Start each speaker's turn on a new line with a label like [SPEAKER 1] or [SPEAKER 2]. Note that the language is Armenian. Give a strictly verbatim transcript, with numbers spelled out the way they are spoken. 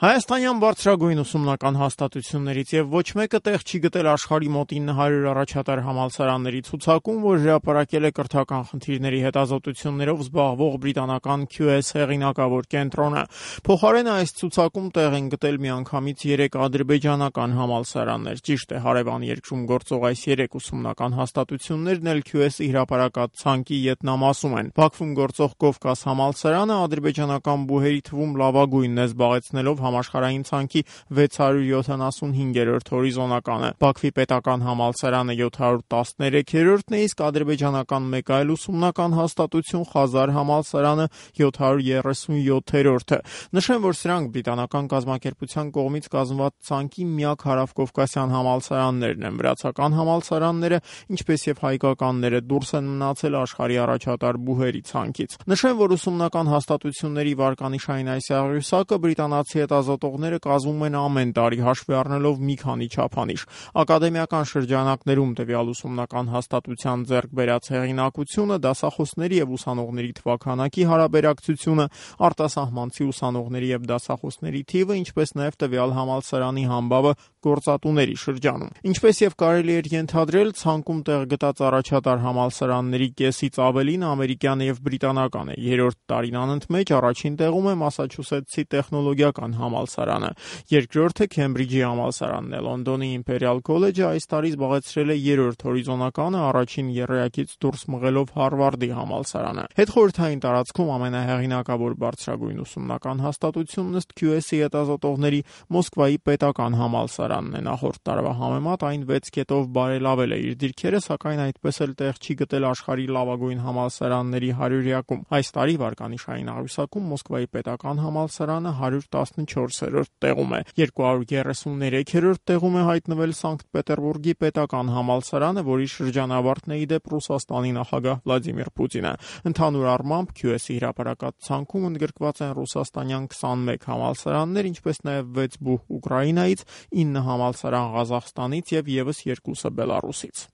[SPEAKER 1] Հայաստանյան բարձրագույն ուսումնական հաստատություններից եւ ոչ մեկը տեղ չի գտել աշխարհի մոտ ինը հարյուր առաջատար համալսարանների ցուցակում, որ հրապարակել է կրթական խնդիրների հետազոտություններով զբաղվող բրիտանական Q S հեղինակավոր կենտրոնը։ Փոխարենը այս ցուցակում տեղ են գտել միանգամից երեք ադրբեջանական համալսարաններ։ Ճիշտ է, հարևան երկրում գործող այս երեք ուսումնական հաստատություններն էլ Q S-ի հրապարակած ցանկի ետնամասում են։ Բաքվում գործող Կովկաս համալսարանը ադրբեջանական բուհերի թվում լավագույնն է զբաղեցնելով համաշխարհային ցանկի վեց հարյուր յոթանասունհինգերորդ հորիզոնականը։ Բաքվի պետական համալսարանը յոթ հարյուր տասներեքերորդն է, իսկ ադրբեջանական մեկ այլ ուսումնական հաստատություն Խազար համալսարանը յոթ հարյուր երեսունյոթերորդը։ Նշեմ, որ սրանք բրիտանական կազմակերպության կողմից կազմված ցանկի միակ հարավկովկասյան համալսարաններն են։ Վրացական համալսարանները, ինչպես եւ հայկականները, դուրս են մնացել աշխարհի առաջատար բուհերի ցանկից։ Նշեմ, որ ուսումնական հաստատությունների վարկանիշային այս աղյուսակը բրիտանացի հետազոտողները կազմում են ամեն տարի, հաշվի առնելով մի քանի չափանիշ։ Ակադեմիական շրջանակներում տվյալ ուսումնական հաստատության ձեռք բերած հեղինակությունը, դասախոսների եւ ուսանողների թվաքանակի հարաբերակցությունը, արտասահմանցի ուսանողների եւ դասախոսների թիվը, ինչպես նաեւ տվյալ համալսարանի համբավը գործատուների շրջանում։ Ինչպես եւ կարելի էր ենթադրել, ցանկում տեղ գտած առաջատար համալսարանների կեսից ավելին ամերիկյան եւ բրիտանական է։ Երրորդ տարին անընդմեջ առաջին տեղում է Մասաչուսեթսի տեխնոլոգիական համալսարանը, երկրորդը Քեմբրիջի համալսարանն է։ Լոնդոնի Իմպերիալ քոլեջը այս տարի զբաղեցրել է երրորդ հորիզոնականը, առաջին եռյակից դուրս մղելով Հարվարդի համալսարանը։ Հետխորհրդային տարածքում ամենահեղինակավոր բարձրագույն ուսումնական հաստատությունն ըստ Q S-ի հետազոտողների Մոսկվայի պետական համալսարանն է։ Նախորդ տարվա համեմատ այն վեց կետով բարելավել է իր դիրքերը, սակայն այդպես էլ տեղ չի գտել աշխարհի լավագույն համալսարանների հարյուրյակում։ Այս տարի վարկանիշային աղյուսակում Մոսկվայի պետական համալսարանը հարյուր տասնչորսերորդ տեղում է։ երկու հարյուր երեսուններեքերորդ տեղում է հայտնվել Սանկտ Պետերբուրգի պետական համալսարանը, որի շրջանավարտն է ի դեպ Ռուսաստանի նախագահ Վլադիմիր Պուտինը։ Ընդհանուր առմամբ Q S-ի հրապարակած ցանկում ընդգրկված են ռուսաստանյան քսանմեկ համալսարաններ, ինչպես նաև վեց բուհ Ուկրաինայից, ինը համալսարան Ղազախստանից եւ եւս երկուսը Բելարուսից։